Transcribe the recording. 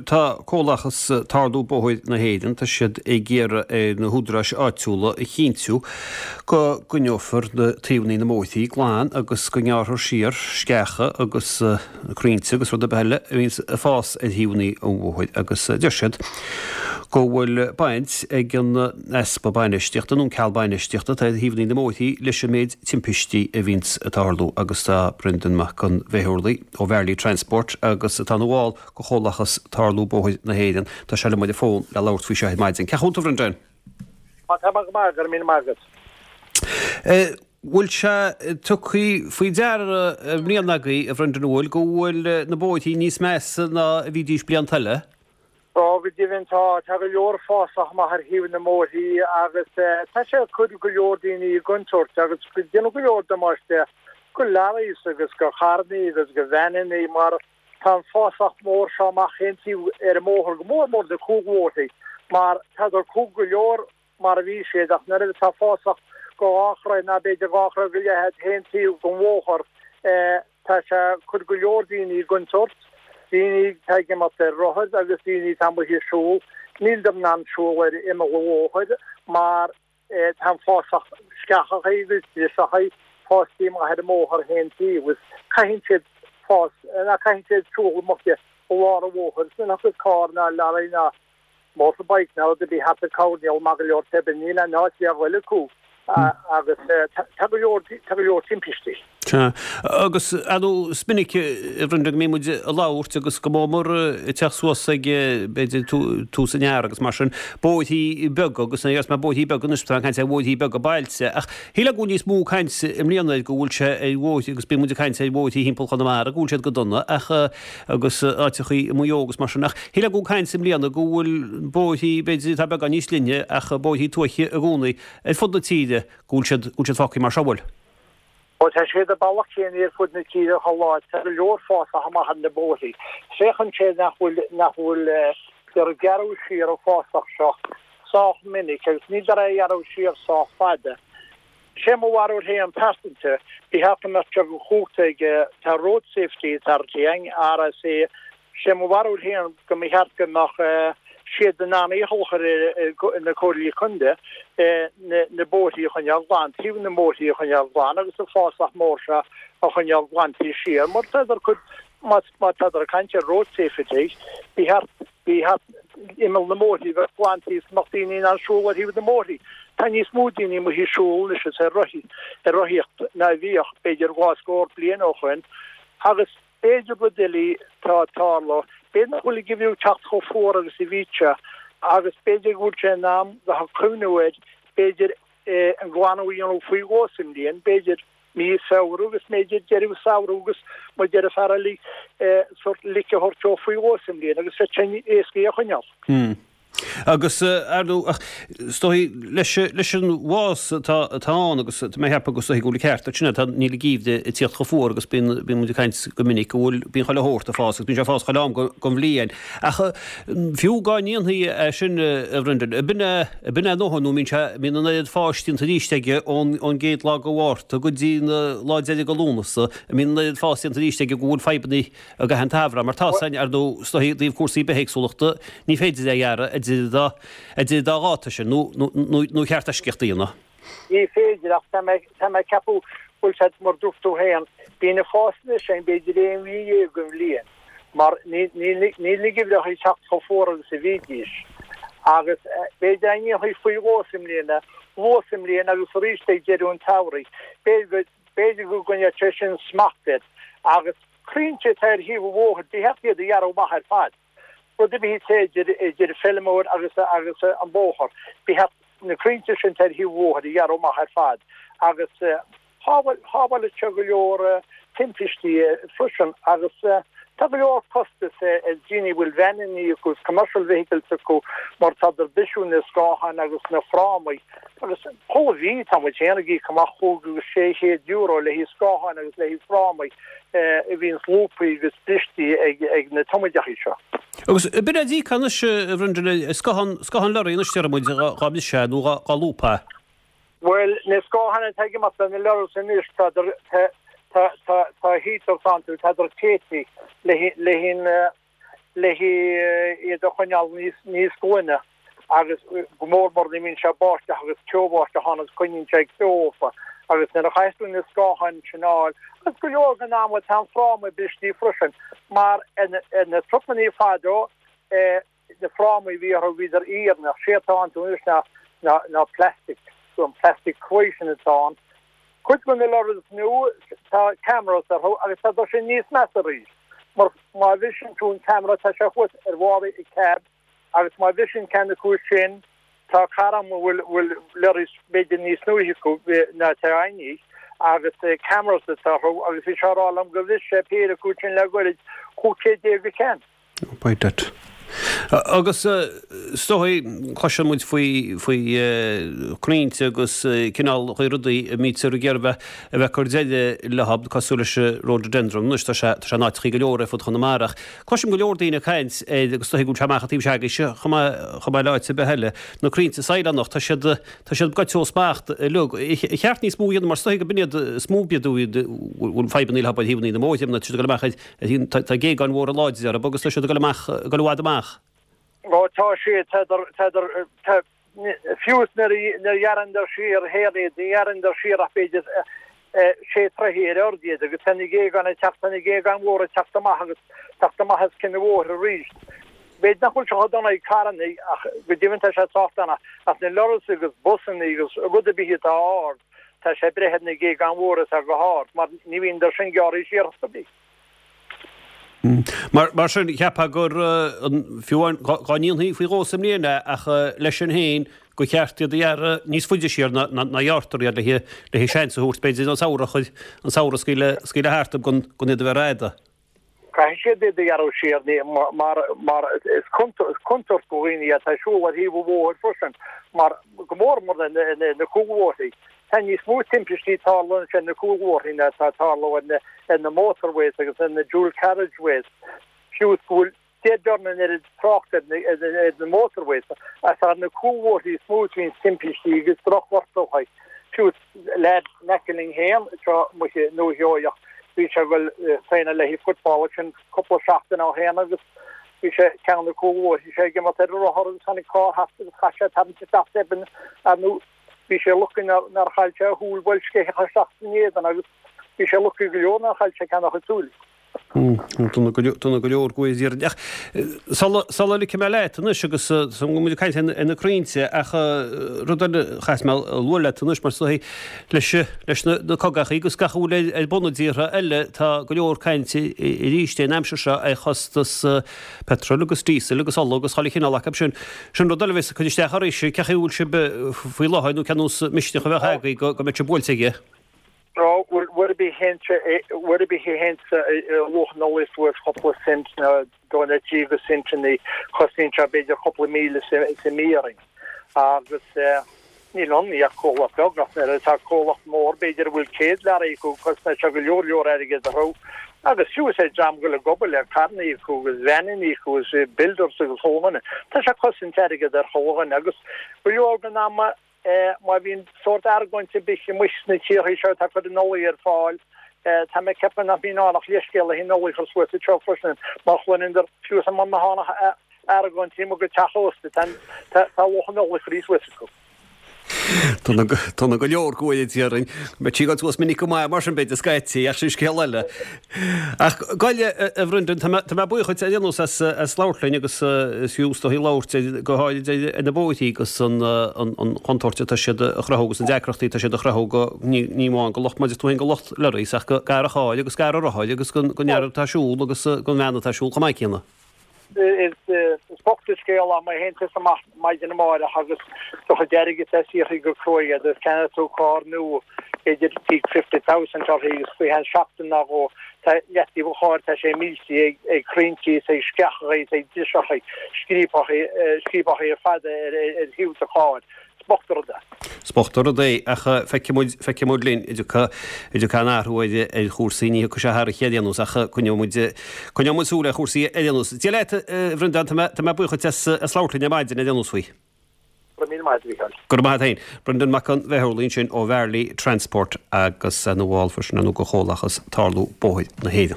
tá Comhlachas Tarlú Bóthair na hÉireann, tá siad ag iarraidh ar na húdaráis áitiúla a chinntiú go gcoinneofar na taobhanna na mbóithrí glan agus go ngearrfar siar sceacha agus crainnte agus rud ar bith eile a bhíonns ag fás ar thaobhanna an bhóthair agus deir siad go bhfuil baint ag an easpa bainistíochta nó an ceal bainistíochta atá ar thaobhanna na mbóithrí leis an méid timpistí a bhíonns ag tarlú agus tá Brendan Mac an Bhéurlaí ó Varley Transport agus atá ina bhall de Chomhlachas Tarlú Bóthair na hÉireann. Tá sé liom ar an bhfón le labhairt faoi seo ar maidin. Cén chaoi a bhfuil tú, a Bhrendan? Tá mé go maith, go raibh míle maith agat. Bhfuil sé tugtha faoi deara i mbliana agaibh, a Bhrendan, an bhfuil, go bhfuil na bóithrí níos measa ná a bhídís blianta eile? Tá, go deimhin tá. Tá go leor fásach amach ar thaobh na mbóithrí agus tá sé ag cur go leor daoine i gcontúirt agus ag déanamh go leor damáiste go leoraithe agus go carrannaí agus go veaineannaí mar tá an fásach mór seo amach chaon taobh ar an mbóthar, go mór mór na cúlbhóithrí mar tádar cúng go leor mar a bhí siad ach nuair atá fásach go dhá throigh ná b'fhéidir dhá throigh go leith chaon taobh den bhóthar tá sé ag cur go leor daoine i gcontúirt, daoine atá ag imeacht ar rothair agus daoine atá amuigh ag siúl, níldar in ann siúl ar imeall an bhóthair mar tá an fásach sceachachaí agus driseachaí fástaí amach ar an mbóthar chaon taobh agus caitheann siad fás ná caitheann siad siúl amach i lár an bhóthair is nuair a thiocfas carr ná leoraí ná motorbike ná rud ar bith thart ag coirnéal maith go leor tobann níl aon áit le dhul acu agus tá go leor tá go leor timpistí. Sea. Agus ar ndóigh is minic a Bhrendan go mbíonn muid ag labhairt agus go mór mór ag teacht suas ag b'fhéidir tús an earraigh agus mar sin, bóithrí beaga agus ní mé bóithrí beaga anois, tá caint ar bhóithrí beaga bailte ach shílfeá go bhfuil níos mó caint i mbliana air go bhfuil sé ar bhóithrí agus bíonn muid ag caint ar bhóithrí thimpeall Chonamara go bhfuil siad go dona ach agus áiteachaí i Maigh Eo agus mar sin ach shílfeá go bhfuil caint i mbliana go bhfuil bóithrí b'fhéidir atá beagán níos linne ach bóithrí tuaithe i gcónaí ar fud na tíre go bhfuil siad go bhfuil siad fágtha mar seo bhfuil. Ó tá siad an bealach céanna ar fud na tíre chuile áit tá go leor fásach amach ar na bóithrí. Féachann sé nach bhfuil nach bhfuil gur gearradh siar an fásach seo sách minic agus níltear á ghearradh siar sách fada. Sé mo bharúil féin pearsanta, ba cheart go mbeadh sé de chumhacht ag, tá Road Safety Authority ann, RSA, sé mo bharúil féin go mba cheart go mbeadh siad in ann iachall a chur ar na Comhairlí Contae na bóithrí a choinneáil glan, taobh na mbóithrí a choinneáil glan agus an fásach mór seo a choinneáil glanta siar mar tádar cuid, má tádar ag caint ar road safety, ba cheart Ba cheart imeall na mbóithrí a bheith glanta is go mbeadh daoine in ann siúl ar thaobh na mbóithrí. Tá níos mó daoine amuigh ag siúl anois is ar rothaí, ar rothaíocht ná a bhíodh, b'fhéidir, dhá scór bliain ó shoin. Agus b'fhéidir rud eile atá ag tarlú, b'fhéidir nach bhfuil an geimhreadh ag teacht chomh fuar agus a bhí sé agus b'fhéidir go bhfuil sé in am bheith ag cuimhniú air, b'fhéidir, an glanadh a dhéanamh faoi dhó sa mbliain, b'fhéidir. mí Feabhra agus b'fhéidir deireadh samhradh agus mar deir an fear eile sórt lic a thabhairt dó faoi dhó sa mbliain agus bheadh sé éasca é a choinneáil. Agus ar ndóigh, ach is dóigh leis leis an bhfás atá atá ann agus tá mé ag ceapadh go is dóigh go bhfuil an ceart agat sin tá níl an geimhreadh ag tíocht chomh fuar agus bíonn bíonn muid ag caint go minic go bhfuil bíonn chuile shórt ag fás agus bíonn sé ag fás chuile am den bhliain. Ach fiú dá ndéanfaí é sin, a Bhrendan, ab in é, ab in é a ndóthain nó mbíonn sé, mbíonn an oiread fáis déanta arís aige ón, ón gcéad lá de Mhárta go dtí an lá deiridh de Lúnasa, an mbíonn an oiread fás déanta arís aige go bhfuil fadhbanna ag an t-ábhar mar tá san, ar ndóigh, is dóigh i dtaobh cúrsaí bithéagsúlachta, ní féidir é a ghearradh idir an dá, idir an dá dháta sin, nó, nó, nó, nó cheart eisceacht a dhéanamh. Ní féidir, ach tá mé, tá mé ag ceapadh bhfuil sé mar dúirt tú féin, bíonn an fás anois ann b'fhéidir aon mhí dhéag den bhliain, mar níl, níl, níl na geimhreacha ag teacht chomh fuar agus a bhídís. Agus b'fhéidir dá ndéanfaí faoi dhó sa mbliain é, luath sa mbliain agus arís ag deireadh an tsamhraidh, b'fhéidir go, b'fhéidir go gcoinneodh sé sin smacht air. Agus crainnte atá ar thaobh an bhóthair, ba cheart iad a ghearradh amach ar fad. Rud ar bith atá idir, idir feilméar agus, agus an bóthar, ba cheart na crainnte sin atá ar thaobh an bhóthair a ghearradh amach ar fad agus shábhálfadh sé go leor timpistí freisin agus tá go leor costas ar dhaoine a bhfuil veaineanna acu is commercial vehicles acu mar tádar ag bisiú na scátháin agus na frámaí agus chuile mhí tá muid féin ag íoc amach €5 agus €600 le haghaidh scátháin agus le haghaidh frámaí a bhíonns lúbtha agus bristí ag na tumoideachaí seo. Agus b'in é díc anois, a Bhrendan, scáthán, scáthán lorry anois déarfaidh muid, dhá mbriseadh nó dhá lúbadh. Bhuel, na scátháin atá ag imeacht ar na lorries anois, tá, tá, tá, tá heaters iontu, tádar téite le, le, le. Le iad a choinneáil níos níos glaine agus go mór mór nuair a bhíonn sé báisteach agus ceo-bháisteach ann agus coinníonn sé ceo orthu agus nuair a chaithfeas tú na scátháin sin a fháil agus go leor den ama tá an fráma bristí freisin mar ar na trucannaí fadó na frámaí a bhí orthu bhíodar iarainn sé atá iontu anois ná ná ná plastic an plastic cruaidh sin atá ann. Cuid de na lorries nua tá cameras orthu agus tá sin níos measa arís mar má bhriseann tú an camera tá sé thuas ar bharr an cab agus má bhriseann ceann acu sin tá cara agam a bhfuil bhfuil lorries b'fhéidir níos nuaithe acu ná atá againne agus cameras atá orthu agus bhí sé á rá liom gur bhris sé péire acu sin le goirid 15 céad an ceann. By that. Agus is dóigh, cloiseann muid faoi, faoi chrainnte agus cineálacha rudaí a mbítear ag iarraidh bheith, a bheith ag cur deireadh leo, cosúil leis an rhododendron. Anois tá sé, tá sé in áiteachaí go leor ar fud Chonamara ach cloisim go leor daoine ag caint air agus is dóigh go bhfuil sé amach an taobh seo agaibhse chomh maith, chomh maith le áit ar bith eile. Na crainnte saighleánach, tá siad, tá siad goite ó smacht uilig. Ar cheart níos mó a dhéanamh mar is dóigh go b'in iad is mó iad a bhfuil fadhbanna leo ar thaobhanna na mbóithre, tá siad ag dul amach ar Tá géagáin mhóra láidre orthu agus tá siad ag dul amach, ag dul i bhfad amach. Ó tá siad, tá, tá, fiú is nuair a ghearranndar siar féin iad, ní ghearranndar siar ach b'fhéidir sé troithe ar airde iad agus tá na géagáin ag teacht, tá na géagáin mhóra ag teacht amach agus teacht amach os cionn an bhóthair arís. B'fhéidir nach bhfuil sé chomh dona ag carrannaí ach go deimhin tá sé sách dona ach na lorries agus busannaí agus rud ar bith atá ard, Tá sé ag breith ar na géagáin mhóra atá go hard, mar ní bhíonn sin gearraithe siar chor ar bith. Mar sin, cheapfá gur, fiú amháin dá ndéanfaí faoi dhó sa mbliain é, ach leis sin féin, gur cheart iad a ghearradh níos faide siar ná a ghearrtar iad le le seans a thabhairt, b'fhéidir, an samhradh, an samhradh a scaoileadh thart gan iad a bheith rófhada. Caithfidh siad iad a ghearradh siar mar mar is contúirt do dhaoine atá ag siúl ar thaobh an bhóthair freisin mar go mór mór ar na cúlbhóithrí. Tá níos mó timpistí ag tarlú ar na cúlbhóithrí ná atá ag tarlú ar na motorways agus ar na dual carriageways. Fiú is go bhfuil deich dtorna an oiread trácht ar na motorways is ar na cúlbhóithrí is mó a bhíonn timpistí agus drochghortuithe. Fiú leaid in aice linn féin anseo amuigh i nDúiche Sheoigheach, bhí sé ag dul traenáil le haghaidh football ansin cúpla seachtain ó shin agus bhí sé ceann de na cúlbhóithrí, bhí sé ag imeacht ar a rothar agus tháinig carr thart agus chaith sé tarraingt isteach tobann ar ndóigh bhí sé lucky nár chaill sé a shúil bhuail sceitheach isteach san éadan agus bhí sé lucky go leor nár chaill sé ceann dá chuid súile. Dona go leor go bhfuil Ach sula ligfidh mé leat anois agus go muid ag caint ar na crainnte ach rud eile a chaithfidh mé a lua leat anois mar is dóigh leis leis na cogachaí agus gach a bhfuil ar bun i dtíortha eile tá go leor cainte arís an aimsir seo ar chostas petrol agus diesel agus ola agus chuile chineál acu sin. Sin rud eile a bheas ag cur isteach oraibhse. Cén chaoi a bhfuil sibh faoi láthair nó cén nós misneach a bheadh agaibh go mbeidh sibh buailte aige? Ó, bhuel, rud ar bith rud ar bith a théanns luach an ola suas cúpla cent nó dó nó trí go centannaí, cosnaíonn sé b'fhéidir cúpla míle sa mí orainn. Agus níl ann ach comhlacht beag, ach nuair atá comhlacht mór, b'fhéidir a bhfuil 100 learaí acu, cosnaíonn sé go leor leor airgead orthu. Agus fiú is é dream go bhfuil ag obair le carrannaí acu agus veaineannaí acu agus builders agus chuile dhuine, tá sé ag cosaint airgead ar chuile dhuine agus go leor den ama, Má bhíonn sórt argóint ar bith amuigh sna tíortha seo atá ag cur an ola ar fáil, tá mé ag ceapadh nach mbíonn ann ach leithscéal le haghaidh an ola a chur suas anseo freisin, mar chluineann fiú is muna tháinig argóint amuigh go teach ósta, tá luach an ola curtha suas acu. Dona go leor go bhfuil déarfainn. Beidh sí ag dul suas minic go maith mar sin b'fhéidir scaití, ach sin scéal eile. Ach gabh i leith, a Bhrendan, tá mé buíoch duit ar aon nós as labhairt linn agus is fiú is dóigh labhairt go háirid ar na bóithrí agus an chontúirt atá siad a chruthú agus na deacrachtaí atá siad a chruthú go, ní amháin go lucht, mar a deir tú féin, go lucht lorries ach go fhear an chairr agus go fhear an rothair agus don fhear atá ag siúl agus don bhean atá ag siúl chomh maith céanna. Is bocht an scéal é má théann tusa amach maidin amáireach agus do chuid airgid atá saothraithe go cruaidh agat agus ceannaíonn tú carr nua b'fhéidir íoc 50,000 uirthi agus faoi cheann seachtain nó dhó tá leataobh an chairr tá sé millte ag crainnte is ag sceachacha is ag driseacha scríobacha ar fad ar thaobh do chairr. Is bocht an rud é. Is bocht an rud é, ach feicfidh muid, feicfidh muid linn, an dtiocfaidh, an dtiocfaidh aon athrú ar, ar chúrsaí, ní thiocfaidh sé thar oíche ar aon nós, ach coinneoidh muid, coinneoidh muid súil ar chúrsaí ar aon nós. Dia leat, a Bhreandáin, tá mé, tá mé buíoch duit as, as labhairt linn ar maidin ar aon nós faoi. Go raibh míle maith agat, a Mhícheáil. Go raibh maith agat féin. Brendan Mac an Bheithurlaigh ansin ó Mharley Transport agus ina bhall freisin ar ndóigh de Chomhlachas Tarlú Bóthair na hÉireann.